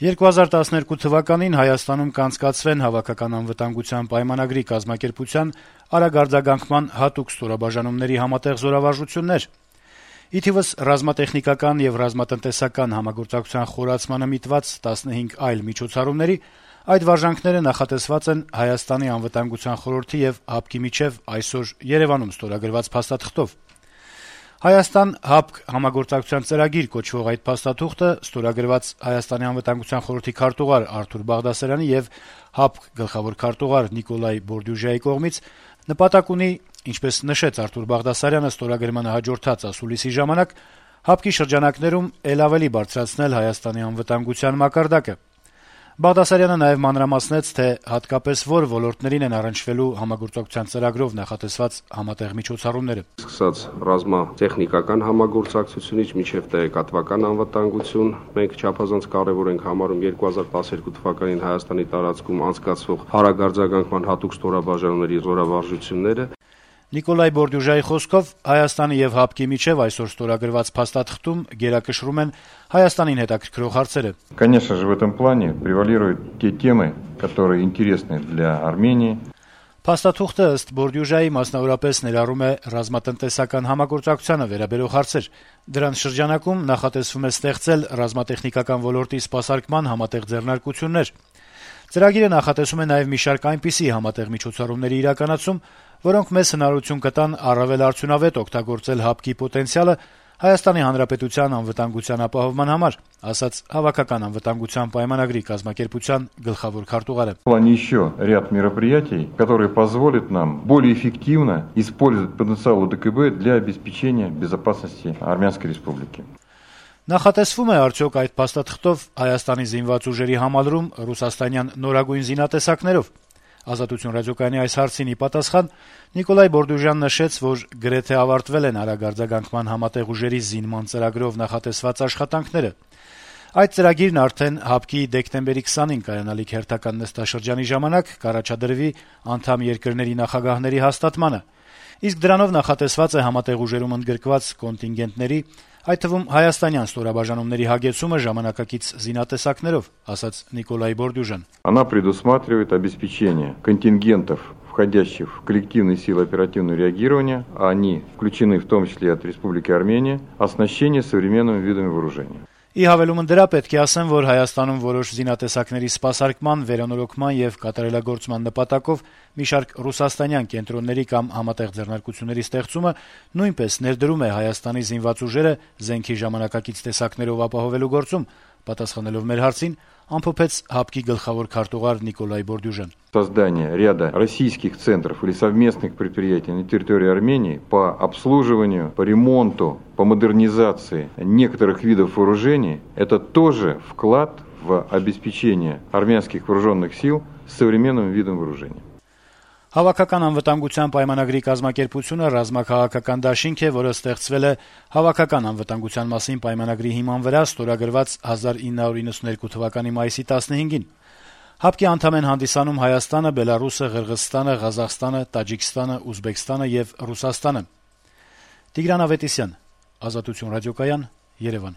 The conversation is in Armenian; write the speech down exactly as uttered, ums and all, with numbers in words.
երկու հազար տասներկու թվականին Հայաստանում կանցկացվեն Հավաքական անվտանգության պայմանագրի կազմակերպության արագարձագանքման հատուկ ստորաբաժանումների համատեղ զորավարժություններ: Ի թիվս ռազմատեխնիկական եւ ռազմատնտեսական համագործակցության խորացմանը միտված տասնհինգ այլ միջոցառումների, այդ վարժանքները նախատեսված են Հայաստանի անվտանգության խորհրդի եւ ՀԱՊԿ-ի միջեւ այսօր Երեւանում ստորագրված փաստաթղթով: «Հայաստան-ՀԱՊԿ համագործակցության ծրագիր» կոչվող այդ փաստաթուղթը ստորագրված Հայաստանի անվտանգության խորհրդի քարտուղար Արթուր Բաղդասարյանի եւ ՀԱՊԿ գլխավոր քարտուղար Նիկոլայ Բորդյուժյայի կողմից նպատակ ունի, ինչպես նշեց Արթուր Բաղդասարյանը ստորագրմանը հաջորդած ասուլիսի ժամանակ, ՀԱՊԿ-ի շրջանակներում էլ ավելի բարձրացնել Հայաստանի անվտանգության մակարդակը: Բաղդասարյանը նաեւ մանրամասնեց, թե հատկապես որ ոլորտներին են առնչվելու համագործակցության ծրագրով նախատեսված համատեղ միջոցառումները: Սկսած ռազմատեխնիկական համագործակցությունից մինչեւ տեղեկատվական անվտանգություն, մենք չափազանց կարեւոր ենք համարում երկու հազար տասներկու թվականին Հայաստանի տարածքում անցկացվող արագարձագանքման հատուկ ստորաբաժանումների զորավարժությունները: Նիկոլայ Բորդյուժյայի խոսքով Հայաստանի եւ ՀԱՊԿ-ի միջեւ այսօր ստորագրված փաստաթղթում գերակշռում են Հայաստանին հետաքրքրող հարցերը: Конечно же, в этом плане превалируют те темы, которые интересны для Армении. Փաստաթուղթը ըստ Բորդյուժյայի մասնավորապես ներառում է ռազմատնտեսական համագործակցությանը վերաբերող հարցեր: Դրանց շրջանակում նախատեսվում է ստեղծել ռազմատեխնիկական ոլորտի սպասարկման համատեղ ձեռնարկություններ: Ծրագիրը նախատեսում է նաեւ մի շարք այնպիսի համատեղ միջոցառումների իրականացում, որոնք մեզ հնարավորություն կտան առավել արդյունավետ օգտագործել ՀԱՊԿ-ի պոտենցիալը Հայաստանի Հանրապետության անվտանգության ապահովման համար, ասաց Հավաքական անվտանգության պայմանագրի կազմակերպության գլխավոր քարտուղարը: В плане еще ряд мероприятий, которые позволят нам более эффективно использовать потенциал ОДКБ для обеспечения безопасности Армянской Республики. Նախատեսվում է արդյոք այդ փաստաթղթով Հայաստանի զինված ուժերի համալրում ռուսաստանյան նորագույն զինատեսակներով: «Ազատություն» ռադիոկայանի այս հարցին ի պատասխան Նիկոլայ Բորդյուժյանն նշեց, որ գրեթե ավարտվել են արագարձագանքման համատեղ ուժերի զինման ծրագրով նախատեսված աշխատանքները: Այդ ծրագիրն արդեն ՀԱՊԿ-ի դեկտեմբերի քսանին կայանալիք հերթական նստաշրջանի ժամանակ կառաջադրվի անդամ երկրների նախագահների հաստատմանը, իսկ դրանով նախատեսված է համատեղ ուժերում ընդգրկված կոնտինգենտների, այդ թվում հայաստանյան ստորաբաժանումների հագեցումը ժամանակակից զինատեսակներով, ասաց Նիկոլայ Բորդյուժյան: Она предусматривает обеспечение контингентов, входящих в коллективные силы оперативного реагирования, а они включены в том числе от Республики Армения, оснащение современными видами вооружения. Ի հավելումն դրա պետք է ասեմ, որ Հայաստանում որոշ զինատեսակների սպասարկման, վերանորոգման եւ կատարելագործման նպատակով մի շարք ռուսաստանյան կենտրոնների կամ համատեղ ձեռնարկությունների ստեղծումը նույնպես ներդրում է Հայաստանի զինված ուժերը զենքի ժամանակակից տեսակներով ապահովելու գործում, պատասխանելով մեր հարցին, ամփոփեց ՀԱՊԿ-ի գլխավոր քարտուղար Նիկոլայ Բորդյուժյան: Создание ряда российских центров или совместных предприятий на территории Армении по обслуживанию, по ремонту, по модернизации некоторых видов вооружений – это тоже вклад в обеспечение армянских вооруженных сил современным видом вооружения. Հավաքական անվտանգության պայմանագրի կազմակերպությունը ռազմաքաղաքական դաշինք է, որը ստեղծվել է Հավաքական անվտանգության մասին պայմանագրի հիման վրա ստորագրված հազար ինը հարյուր իննսունհինգ թվականի մայիսի տասնհինգին: ՀԱՊԿ-ի անդամ են հանդիսանում Հայաստանը, Բելառուսը, Ղրղըզստանը, Ղազախստանը, Տաջիկստանը, Ուզբեկստանը եւ Ռուսաստանը: Տիգրան Ավետիսյան, Ազատություն ռադիոկայան, Երեւան։